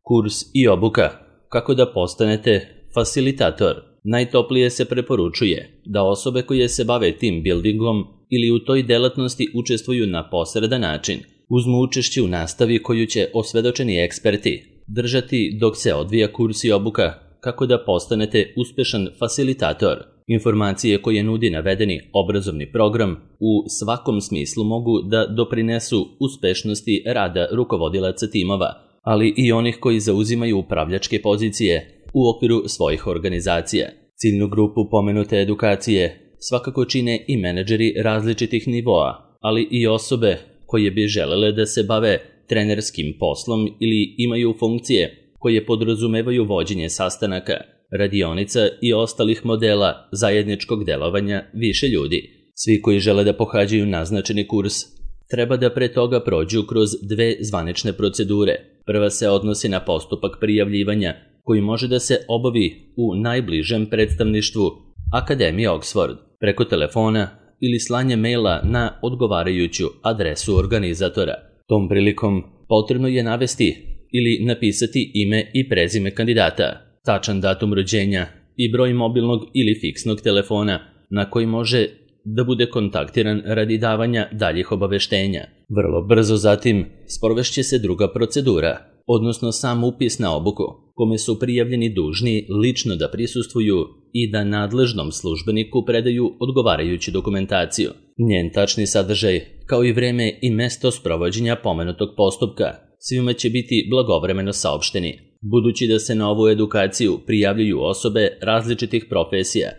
Kurs i obuka. Kako da postanete facilitator. Najtoplije se preporučuje da osobe koje se bave team buildingom ili u toj delatnosti učestvuju na posredan način, uzmu učešće u nastavi koju će osvedočeni eksperti držati dok se odvija kurs i obuka kako da postanete uspešan facilitator. Informacije koje nudi navedeni obrazovni program u svakom smislu mogu da doprinesu uspešnosti rada rukovodilaca timova, ali i onih koji zauzimaju upravljačke pozicije u okviru svojih organizacija. Ciljnu grupu pomenute edukacije svakako čine i menadžeri različitih nivoa, ali i osobe koje bi želele da se bave trenerskim poslom ili imaju funkcije koje podrazumevaju vođenje sastanaka, radionica i ostalih modela zajedničkog delovanja više ljudi. Svi koji žele da pohađaju naznačeni kurs treba da pre toga prođu kroz 2 zvanične procedure. Prva se odnosi na postupak prijavljivanja koji može da se obavi u najbližem predstavništvu Akademije Oxford preko telefona ili slanje maila na odgovarajuću adresu organizatora. Tom prilikom potrebno je navesti ili napisati ime i prezime kandidata, tačan datum rođenja i broj mobilnog ili fiksnog telefona na koji može da bude kontaktiran radi davanja daljih obaveštenja. Vrlo brzo zatim sprovešće se druga procedura, odnosno sam upis na obuku, kome su prijavljeni dužni lično da prisustvuju i da nadležnom službeniku predaju odgovarajuću dokumentaciju. Njen tačni sadržaj, kao i vreme i mesto sprovođenja pomenutog postupka, svima će biti blagovremeno saopšteni. Budući da se na ovu edukaciju prijavljuju osobe različitih profesija,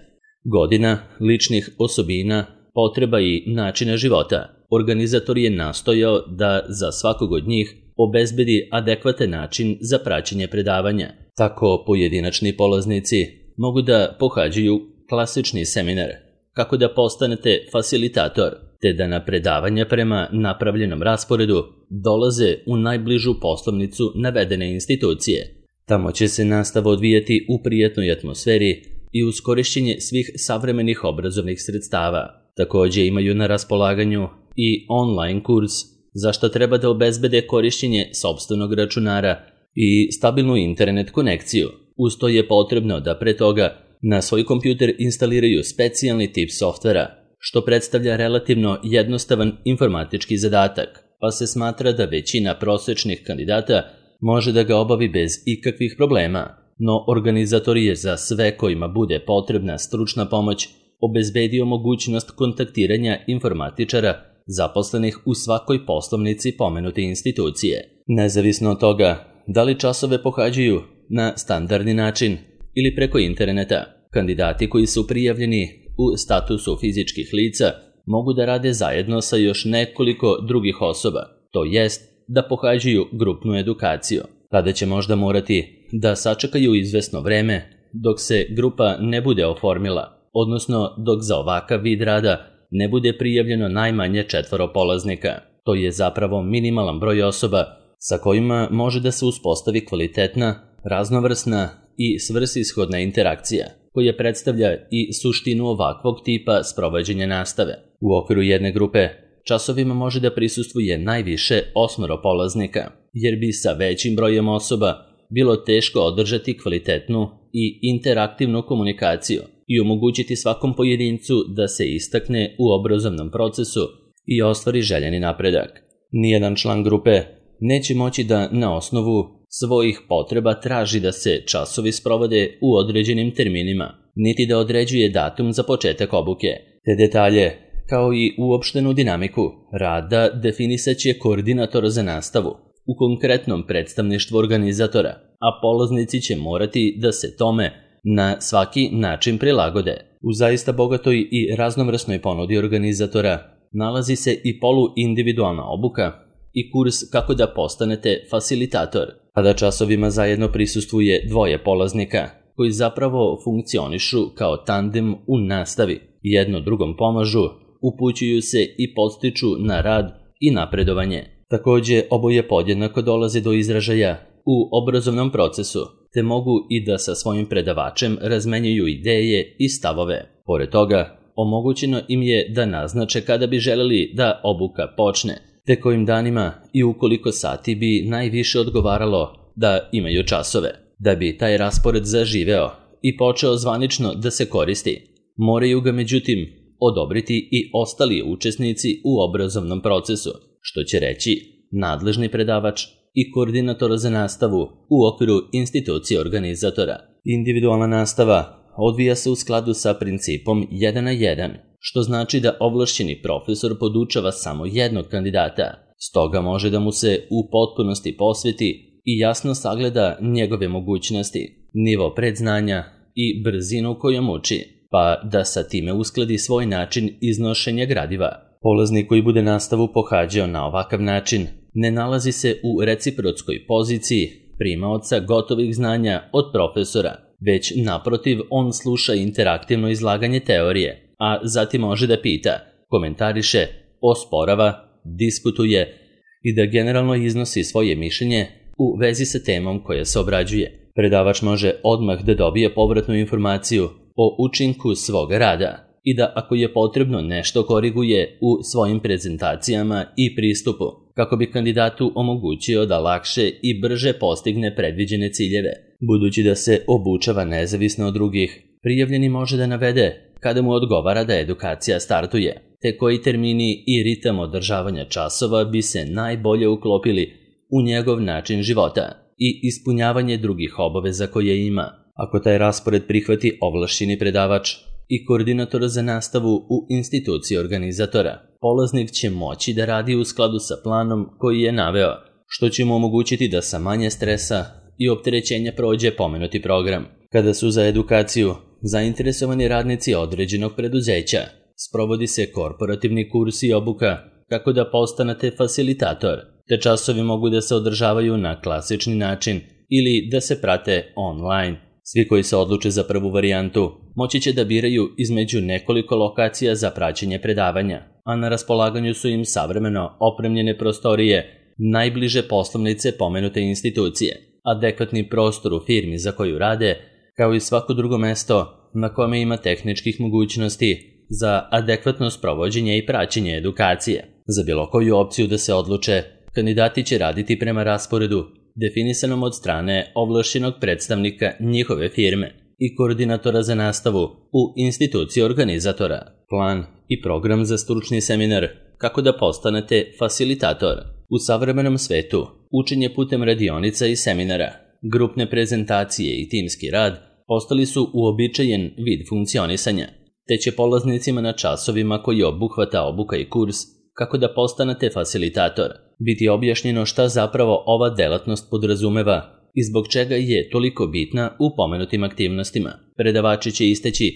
godina, ličnih osobina, potreba i načina života, organizator je nastojao da za svakog od njih obezbedi adekvatan način za praćenje predavanja. Tako pojedinačni polaznici mogu da pohađaju klasični seminar, kako da postanete facilitator, te da na predavanja prema napravljenom rasporedu dolaze u najbližu poslovnicu navedene institucije. Tamo će se nastava odvijati u prijatnoj atmosferi i uz korišćenje svih savremenih obrazovnih sredstava. Također imaju na raspolaganju i online kurs, za što treba da obezbede korišćenje sopstvenog računara i stabilnu internet konekciju. Uz to je potrebno da pre toga na svoj kompjuter instaliraju specijalni tip softvera, što predstavlja relativno jednostavan informatički zadatak, pa se smatra da većina prosečnih kandidata može da ga obavi bez ikakvih problema, no organizator je za sve kojima bude potrebna stručna pomoć obezbedio mogućnost kontaktiranja informatičara zaposlenih u svakoj poslovnici pomenute institucije. Nezavisno od toga da li časove pohađaju na standardni način ili preko interneta, kandidati koji su prijavljeni u statusu fizičkih lica mogu da rade zajedno sa još nekoliko drugih osoba, to jest da pohađaju grupnu edukaciju. Tada će možda morati da sačekaju izvesno vreme dok se grupa ne bude oformila, odnosno dok za ovakav vid rada ne bude prijavljeno najmanje 4 polaznika. To je zapravo minimalan broj osoba sa kojima može da se uspostavi kvalitetna, raznovrsna i svrsishodna interakcija, koja predstavlja i suštinu ovakvog tipa sprovođenja nastave. U okviru jedne grupe časovima može da prisustvuje najviše 8 polaznika, jer bi sa većim brojem osoba bilo teško održati kvalitetnu i interaktivnu komunikaciju i omogućiti svakom pojedincu da se istakne u obrazovnom procesu i ostvari željeni napredak. Nijedan član grupe neće moći da na osnovu svojih potreba traži da se časovi sprovode u određenim terminima, niti da određuje datum za početak obuke. Te detalje, kao i uopštenu dinamiku rada, definisaće koordinator za nastavu u konkretnom predstavništvu organizatora, a polaznici će morati da se tome na svaki način prilagode. U zaista bogatoj i raznovrsnoj ponudi organizatora nalazi se i poluindividualna obuka i kurs kako da postanete facilitator, a da časovima zajedno prisustvuje 2 polaznika koji zapravo funkcionišu kao tandem u nastavi. Jedno drugom pomažu, upućuju se i podstiču na rad i napredovanje. Također oboje podjednako dolaze do izražaja u obrazovnom procesu, te mogu i da sa svojim predavačem razmenjuju ideje i stavove. Pored toga, omogućeno im je da naznače kada bi želeli da obuka počne, te kojim danima i u koliko sati bi najviše odgovaralo da imaju časove. Da bi taj raspored zaživeo i počeo zvanično da se koristi, moraju ga međutim odobriti i ostali učesnici u obrazovnom procesu, što će reći nadležni predavač i koordinator za nastavu u okviru institucije organizatora. Individualna nastava odvija se u skladu sa principom 1 na 1, što znači da ovlašćeni profesor podučava samo jednog kandidata, stoga može da mu se u potpunosti posveti i jasno sagleda njegove mogućnosti, nivo predznanja i brzinu kojom uči, pa da sa time uskladi svoj način iznošenja gradiva. Polaznik koji bude nastavu pohađao na ovakav način ne nalazi se u reciprotskoj poziciji primaoca gotovih znanja od profesora, već naprotiv on sluša interaktivno izlaganje teorije, a zatim može da pita, komentariše, osporava, diskutuje i da generalno iznosi svoje mišljenje u vezi sa temom koja se obrađuje. Predavač može odmah da dobije povratnu informaciju o učinku svog rada i da ako je potrebno nešto koriguje u svojim prezentacijama i pristupu, kako bi kandidatu omogućio da lakše i brže postigne predviđene ciljeve. Budući da se obučava nezavisno od drugih, prijavljeni može da navede kada mu odgovara da edukacija startuje, te koji termini i ritam održavanja časova bi se najbolje uklopili u njegov način života i ispunjavanje drugih obaveza koje ima. Ako taj raspored prihvati ovlašćeni predavač i koordinator za nastavu u instituciji organizatora, polaznik će moći da radi u skladu sa planom koji je naveo, što će mu omogućiti da sa manje stresa i opterećenja prođe pomenuti program. Kada su za edukaciju zainteresovani radnici određenog preduzeća, sprovodi se korporativni kurs i obuka kako da postanete facilitator, te časovi mogu da se održavaju na klasični način ili da se prate online. Svi koji se odluče za prvu varijantu moći će da biraju između nekoliko lokacija za praćenje predavanja, a na raspolaganju su im savremeno opremljene prostorije najbliže poslovnice pomenute institucije, adekvatni prostor u firmi za koju rade, kao i svako drugo mesto na kome ima tehničkih mogućnosti za adekvatno sprovođenje i praćenje edukacije. Za bilo koju opciju da se odluče, kandidati će raditi prema rasporedu definisanom od strane ovlašćenog predstavnika njihove firme i koordinatora za nastavu u instituciji organizatora. Plan i program za stručni seminar kako da postanete facilitator. U savremenom svetu učenje putem radionica i seminara, grupne prezentacije i timski rad postali su uobičajen vid funkcionisanja, te će polaznicima na časovima koji obuhvata obuka i kurs kako da postanete facilitator biti objašnjeno šta zapravo ova delatnost podrazumeva i zbog čega je toliko bitna u pomenutim aktivnostima. Predavači će istaći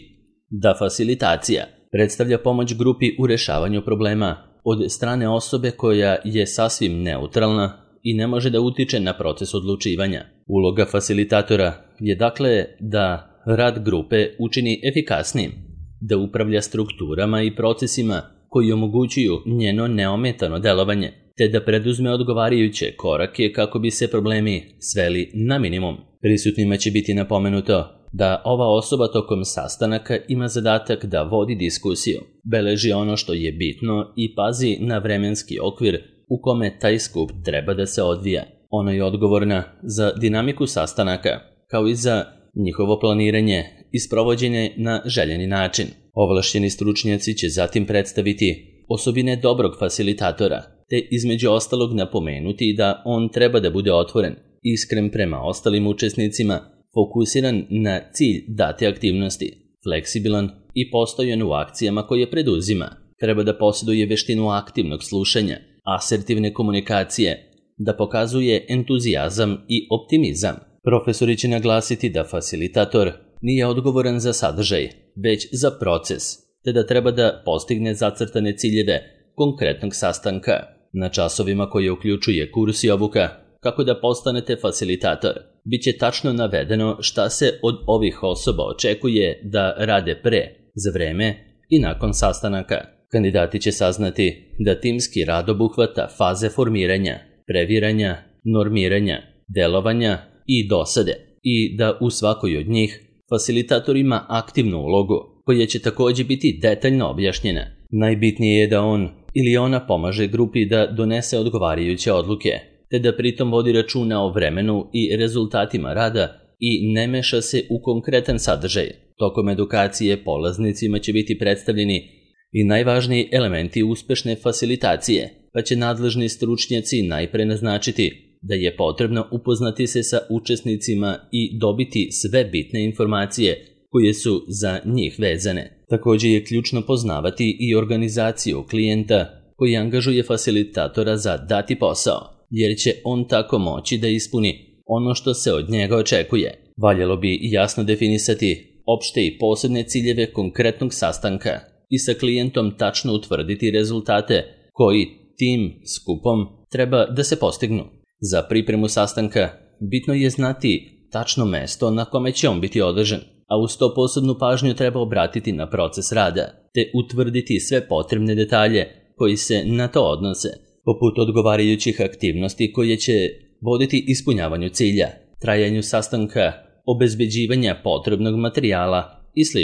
da facilitacija predstavlja pomoć grupi u rešavanju problema od strane osobe koja je sasvim neutralna i ne može da utiče na proces odlučivanja. Uloga facilitatora je dakle da rad grupe učini efikasnim, da upravlja strukturama i procesima koji omogućuju njeno neometano delovanje, te da preduzme odgovarajuće korake kako bi se problemi sveli na minimum. Prisutnima će biti napomenuto da ova osoba tokom sastanaka ima zadatak da vodi diskusiju, beleži ono što je bitno i pazi na vremenski okvir u kome taj skup treba da se odvija. Ona je odgovorna za dinamiku sastanaka, kao i za njihovo planiranje i sprovođenje na željeni način. Ovlašćeni stručnjaci će zatim predstaviti osobine dobrog facilitatora, te između ostalog napomenuti da on treba da bude otvoren, iskren prema ostalim učesnicima, fokusiran na cilj date aktivnosti, fleksibilan i postojan u akcijama koje preduzima. Treba da posjeduje veštinu aktivnog slušanja, asertivne komunikacije, da pokazuje entuzijazam i optimizam. Profesori će naglasiti da facilitator nije odgovoran za sadržaj, već za proces, te da treba da postigne zacrtane ciljeve konkretnog sastanka. Na časovima koje uključuje kurs i obuka, kako da postanete facilitator, bit će tačno navedeno šta se od ovih osoba očekuje da rade pre, za vreme i nakon sastanaka. Kandidati će saznati da timski rad obuhvata faze formiranja, previranja, normiranja, delovanja i dosade i da u svakoj od njih facilitator ima aktivnu ulogu koja će također biti detaljno objašnjena. Najbitnije je da on ili ona pomaže grupi da donese odgovarajuće odluke te da pritom vodi računa o vremenu i rezultatima rada i ne meša se u konkretan sadržaj. Tokom edukacije polaznicima će biti predstavljeni i najvažniji elementi uspešne fasilitacije, pa će nadležni stručnjaci najpre naznačiti da je potrebno upoznati se sa učesnicima i dobiti sve bitne informacije koje su za njih vezane. Također je ključno poznavati i organizaciju klijenta koji angažuje fasilitatora za dati posao, jer će on tako moći da ispuni ono što se od njega očekuje. Valjalo bi jasno definisati opšte i posebne ciljeve konkretnog sastanka i sa klijentom tačno utvrditi rezultate koji tim skupom treba da se postignu. Za pripremu sastanka bitno je znati tačno mesto na kome će on biti održan, a uz to posebnu pažnju treba obratiti na proces rada, te utvrditi sve potrebne detalje koji se na to odnose, poput odgovarajućih aktivnosti koje će voditi ispunjavanju cilja, trajanju sastanka, obezbeđivanja potrebnog materijala i sl.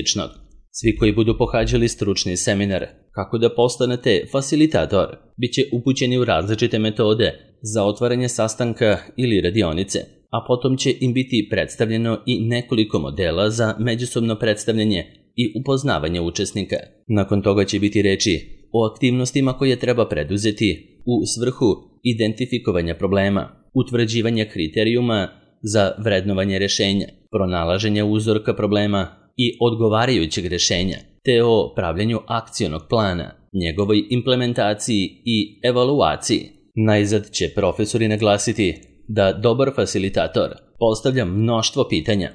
Svi koji budu pohađali stručni seminar kako da postanete fasilitator bit će upućeni u različite metode za otvaranje sastanka ili radionice, a potom će im biti predstavljeno i nekoliko modela za međusobno predstavljanje i upoznavanje učesnika. Nakon toga će biti reči o aktivnostima koje treba preduzeti u svrhu identifikovanja problema, utvrđivanja kriterijuma za vrednovanje rešenja, pronalaženja uzorka problema i odgovarajućeg rešenja, te o pravljenju akcionog plana, njegovoj implementaciji i evaluaciji. Najzad će profesori naglasiti da dobar fasilitator postavlja mnoštvo pitanja,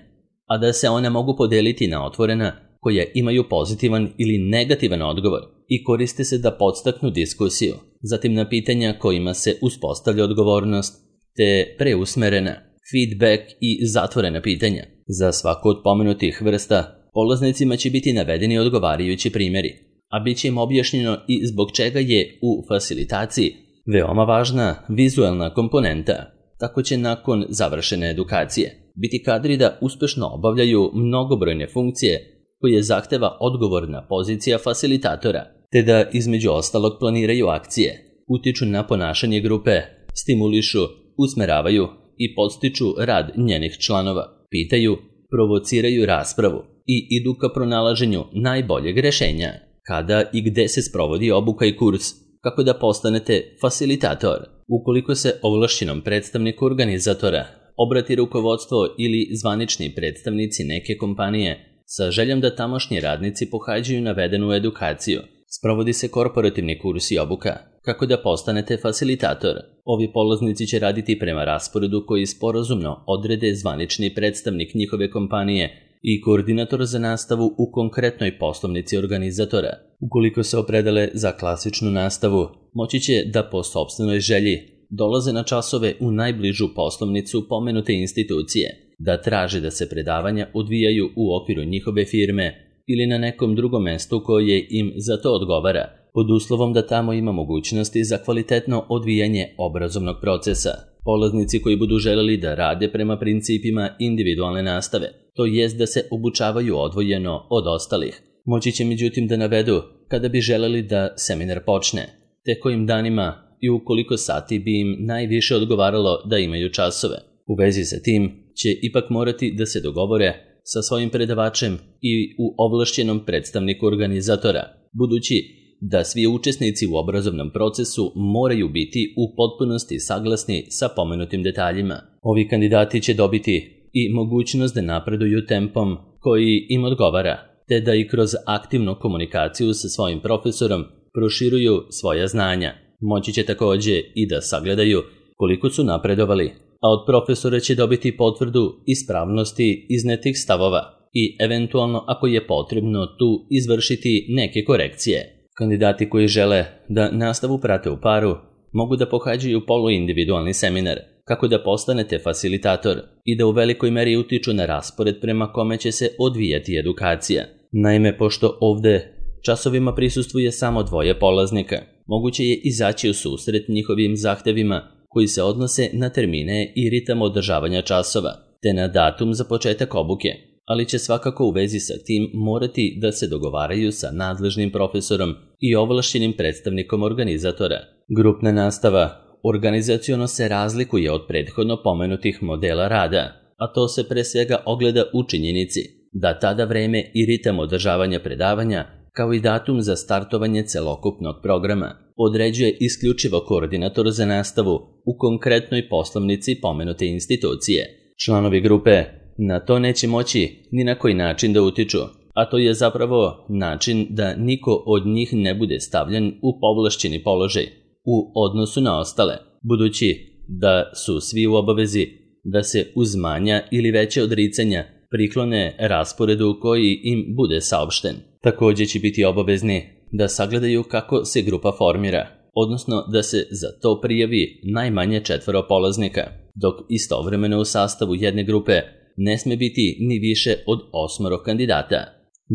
a da se one mogu podeliti na otvorena koja imaju pozitivan ili negativan odgovor i koriste se da podstaknu diskusiju, zatim na pitanja kojima se uspostavlja odgovornost, te preusmerena, feedback i zatvorena pitanja. Za svaku od pomenutih vrsta polaznicima će biti navedeni odgovarajući primjeri, a bit će im objašnjeno i zbog čega je u fasilitaciji veoma važna vizuelna komponenta. Tako će nakon završene edukacije biti kadri da uspešno obavljaju mnogobrojne funkcije koje zahteva odgovorna pozicija fasilitatora, te da između ostalog planiraju akcije, utiču na ponašanje grupe, stimulišu, usmeravaju i podstiču rad njenih članova, pitaju, provociraju raspravu i idu ka pronalaženju najboljeg rešenja. Kada i gde se sprovodi obuka i kurs, kako da postanete fasilitator. Ukoliko se ovlašćenom predstavniku organizatora obrati rukovodstvo ili zvanični predstavnici neke kompanije sa željom da tamošnji radnici pohađaju navedenu edukaciju, sprovodi se korporativni kurs i obuka, kako da postanete fasilitator. Ovi polaznici će raditi prema rasporedu koji sporazumno odrede zvanični predstavnik njihove kompanije i koordinator za nastavu u konkretnoj poslovnici organizatora. Ukoliko se opredele za klasičnu nastavu, moći će da po sopstvenoj želji dolaze na časove u najbližu poslovnicu pomenute institucije, da traže da se predavanja odvijaju u okviru njihove firme ili na nekom drugom mestu koje im za to odgovara, pod uslovom da tamo ima mogućnosti za kvalitetno odvijanje obrazovnog procesa. Polaznici koji budu želeli da rade prema principima individualne nastave, to jest da se obučavaju odvojeno od ostalih, moći će međutim da navedu kada bi želeli da seminar počne, te kojim danima i u koliko sati bi im najviše odgovaralo da imaju časove. U vezi sa tim će ipak morati da se dogovore sa svojim predavačem i u ovlašćenom predstavniku organizatora, budući da svi učesnici u obrazovnom procesu moraju biti u potpunosti saglasni sa pomenutim detaljima. Ovi kandidati će dobiti i mogućnost da napreduju tempom koji im odgovara, te da i kroz aktivnu komunikaciju sa svojim profesorom proširuju svoja znanja. Moći će također i da sagledaju koliko su napredovali, a od profesora će dobiti potvrdu ispravnosti iznetih stavova i eventualno ako je potrebno tu izvršiti neke korekcije. Kandidati koji žele da nastavu prate u paru mogu da pohađaju poluindividualni seminar, kako da postanete fasilitator i da u velikoj meri utiču na raspored prema kome će se odvijati edukacija. Naime, pošto ovde časovima prisustvuje samo 2 polaznika, moguće je izaći u susret njihovim zahtevima koji se odnose na termine i ritam održavanja časova, te na datum za početak obuke, ali će svakako u vezi sa tim morati da se dogovaraju sa nadležnim profesorom i ovlašćenim predstavnikom organizatora. Grupna nastava organizaciono se razlikuje od prethodno pomenutih modela rada, a to se pre svega ogleda u činjenici da tada vreme i ritam održavanja predavanja, kao i datum za startovanje celokupnog programa, određuje isključivo koordinator za nastavu u konkretnoj poslovnici pomenute institucije. Članovi grupe na to neće moći ni na koji način da utiču, a to je zapravo način da niko od njih ne bude stavljen u povlašćeni položaj u odnosu na ostale, budući da su svi u obavezi da se uz manja ili veće odricanja priklone rasporedu koji im bude saopšten. Također će biti obavezni da sagledaju kako se grupa formira, odnosno da se za to prijavi najmanje 4 polaznika, dok istovremeno u sastavu jedne grupe ne sme biti ni više od 8 kandidata.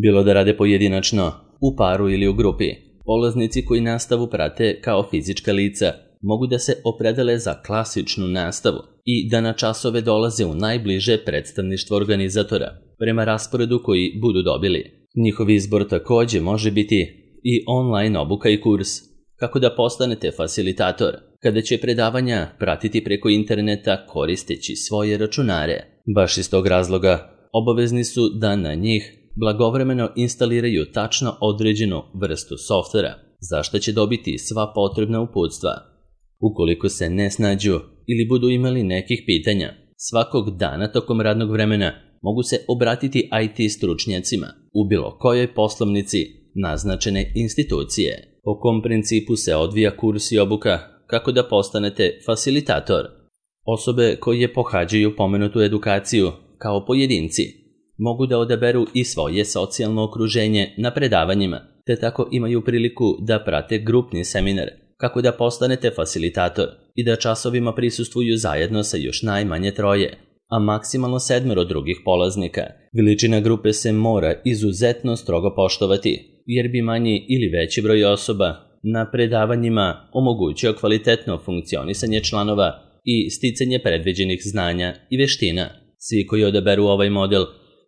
Bilo da rade pojedinačno, u paru ili u grupi, polaznici koji nastavu prate kao fizička lica mogu da se opredele za klasičnu nastavu i da na časove dolaze u najbliže predstavništvo organizatora, prema rasporedu koji budu dobili. Njihov izbor također može biti i online obuka i kurs, kako da postanete fasilitator, kada će predavanja pratiti preko interneta koristeći svoje računare. Baš iz tog razloga obavezni su da na njih blagovremeno instaliraju tačno određenu vrstu softvera, za što će dobiti sva potrebna uputstva. Ukoliko se ne snađu ili budu imali nekih pitanja, svakog dana tokom radnog vremena mogu se obratiti IT stručnjacima u bilo kojoj poslovnici naznačene institucije. Po kom principu se odvija kurs i obuka kako da postanete fasilitator? Osobe koje pohađaju pomenutu edukaciju kao pojedinci mogu da odaberu i svoje socijalno okruženje na predavanjima, te tako imaju priliku da prate grupni seminar kako da postanete fasilitator i da časovima prisustvuju zajedno sa još najmanje 3, a maksimalno 7 drugih polaznika. Veličina grupe se mora izuzetno strogo poštovati, jer bi manji ili veći broj osoba na predavanjima omogućio kvalitetno funkcionisanje članova i sticanje predviđenih znanja i veština. Svi koji odaberu ovaj model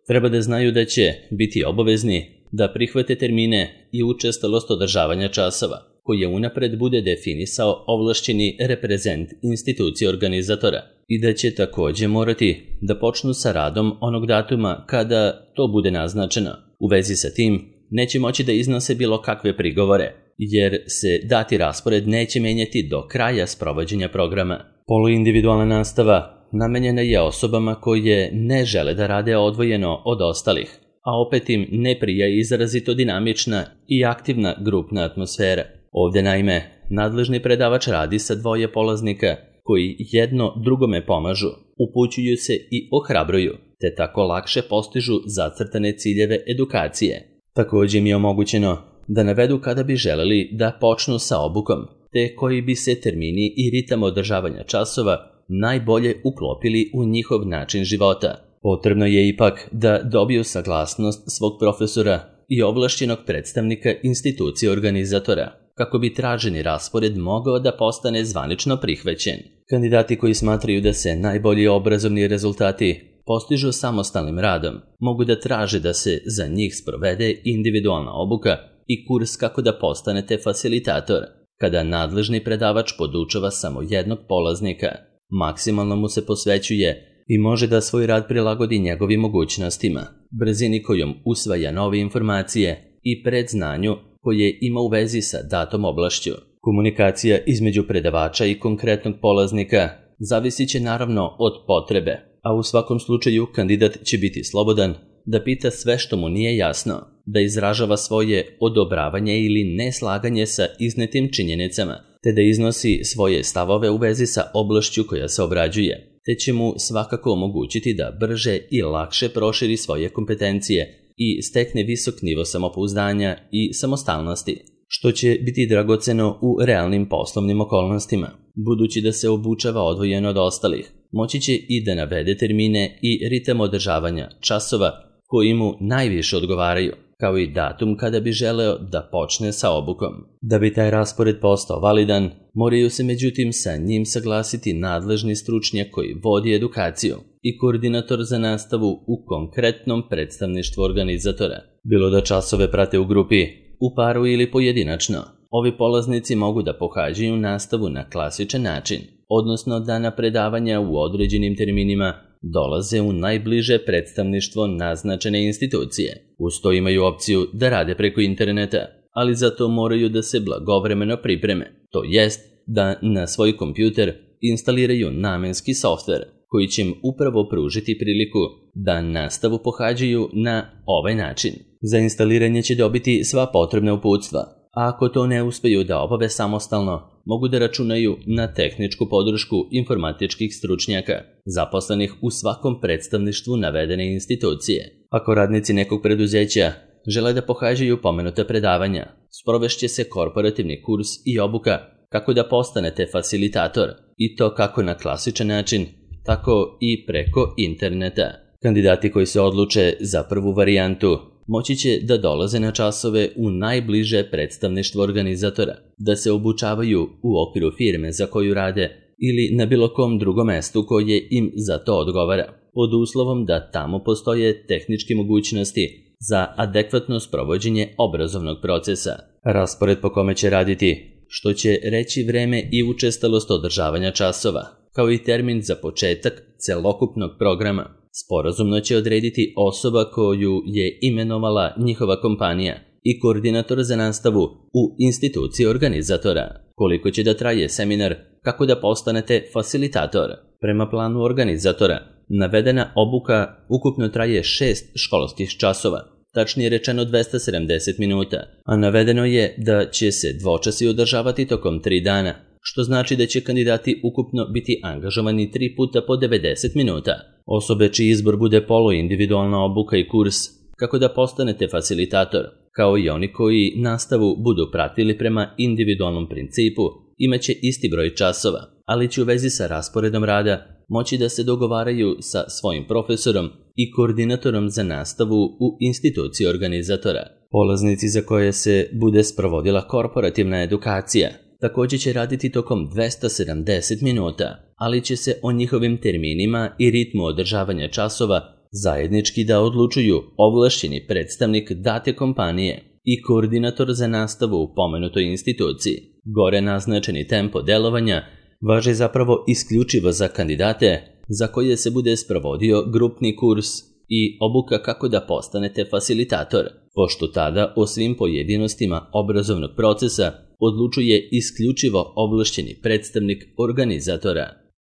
treba da znaju da će biti obavezni da prihvate termine i učestalost održavanja časova, koje unapred bude definisao ovlašćeni reprezent institucije organizatora, i da će također morati da počnu sa radom onog datuma kada to bude naznačeno. U vezi sa tim neće moći da iznose bilo kakve prigovore, jer se dati raspored neće menjati do kraja sprovođenja programa. Poluindividualna nastava namenjena je osobama koje ne žele da rade odvojeno od ostalih, a opet im ne prija izrazito dinamična i aktivna grupna atmosfera. Ovdje naime, nadležni predavač radi sa 2 polaznika koji jedno drugome pomažu, upućuju se i ohrabruju, te tako lakše postižu zacrtane ciljeve edukacije. Također im je omogućeno da navedu kada bi želeli da počnu sa obukom, te koji bi se termini i ritam održavanja časova najbolje uklopili u njihov način života. Potrebno je ipak da dobiju saglasnost svog profesora i ovlašćenog predstavnika institucije organizatora, kako bi traženi raspored mogao da postane zvanično prihvaćen. Kandidati koji smatraju da se najbolji obrazovni rezultati postižu samostalnim radom, mogu da traže da se za njih sprovede individualna obuka i kurs kako da postanete fasilitator, kada nadležni predavač podučava samo jednog polaznika. Maksimalno mu se posvećuje i može da svoj rad prilagodi njegovim mogućnostima, brzini kojom usvaja nove informacije i predznanju koje ima u vezi sa datom oblašću. Komunikacija između predavača i konkretnog polaznika zavisit će naravno od potrebe, a u svakom slučaju kandidat će biti slobodan da pita sve što mu nije jasno, da izražava svoje odobravanje ili neslaganje sa iznetim činjenicama, te da iznosi svoje stavove u vezi sa oblašću koja se obrađuje, te će mu svakako omogućiti da brže i lakše proširi svoje kompetencije i stekne visok nivo samopouzdanja i samostalnosti, što će biti dragoceno u realnim poslovnim okolnostima. Budući da se obučava odvojeno od ostalih, moći će i da navede termine i ritam održavanja časova koji mu najviše odgovaraju, kao i datum kada bi želeo da počne sa obukom. Da bi taj raspored postao validan, moraju se međutim sa njim saglasiti nadležni stručnjak koji vodi edukaciju i koordinator za nastavu u konkretnom predstavništvu organizatora. Bilo da časove prate u grupi, u paru ili pojedinačno, Ovi polaznici mogu da pohađaju nastavu na klasičan način, odnosno da na predavanja u određenim terminima dolaze u najbliže predstavništvo naznačene institucije. Uz to imaju opciju da rade preko interneta, ali za to moraju da se blagovremeno pripreme, to jest da na svoj kompjuter instaliraju namenski softver koji će im upravo pružiti priliku da nastavu pohađaju na ovaj način. Za instaliranje će dobiti sva potrebna uputstva, a ako to ne uspeju da obave samostalno, mogu da računaju na tehničku podršku informatičkih stručnjaka, zaposlenih u svakom predstavništvu navedene institucije. Ako radnici nekog preduzeća žele da pohađaju pomenuta predavanja, sprovešće se korporativni kurs i obuka kako da postanete facilitator, i to kako na klasičan način, tako i preko interneta. Kandidati koji se odluče za prvu varijantu moći će da dolaze na časove u najbliže predstavništvo organizatora, da se obučavaju u okviru firme za koju rade ili na bilo kom drugom mestu koje im za to odgovara, pod uslovom da tamo postoje tehničke mogućnosti za adekvatno sprovođenje obrazovnog procesa. Raspored po kome će raditi, što će reći vreme i učestalost održavanja časova, kao i termin za početak celokupnog programa, sporazumno će odrediti osoba koju je imenovala njihova kompanija i koordinator za nastavu u instituciji organizatora. Koliko će da traje seminar kako da postanete facilitator? Prema planu organizatora, navedena obuka ukupno traje 6 školskih časova, tačnije rečeno 270 minuta, a navedeno je da će se dvočasi održavati tokom 3 dana, što znači da će kandidati ukupno biti angažovani 3 puta po 90 minuta. Osobe čiji izbor bude poluindividualna obuka i kurs kako da postanete facilitator, kao i oni koji nastavu budu pratili prema individualnom principu, imaće isti broj časova, ali će u vezi sa rasporedom rada moći da se dogovaraju sa svojim profesorom i koordinatorom za nastavu u instituciji organizatora. Polaznici za koje se bude sprovodila korporativna edukacija također će raditi tokom 270 minuta, ali će se o njihovim terminima i ritmu održavanja časova zajednički da odlučuju ovlašćeni predstavnik date kompanije i koordinator za nastavu u pomenutoj instituciji. Gore naznačeni tempo delovanja važi zapravo isključivo za kandidate za koje se bude sprovodio grupni kurs i obuka kako da postanete facilitator, pošto tada o svim pojedinostima obrazovnog procesa odlučuje isključivo ovlašćeni predstavnik organizatora.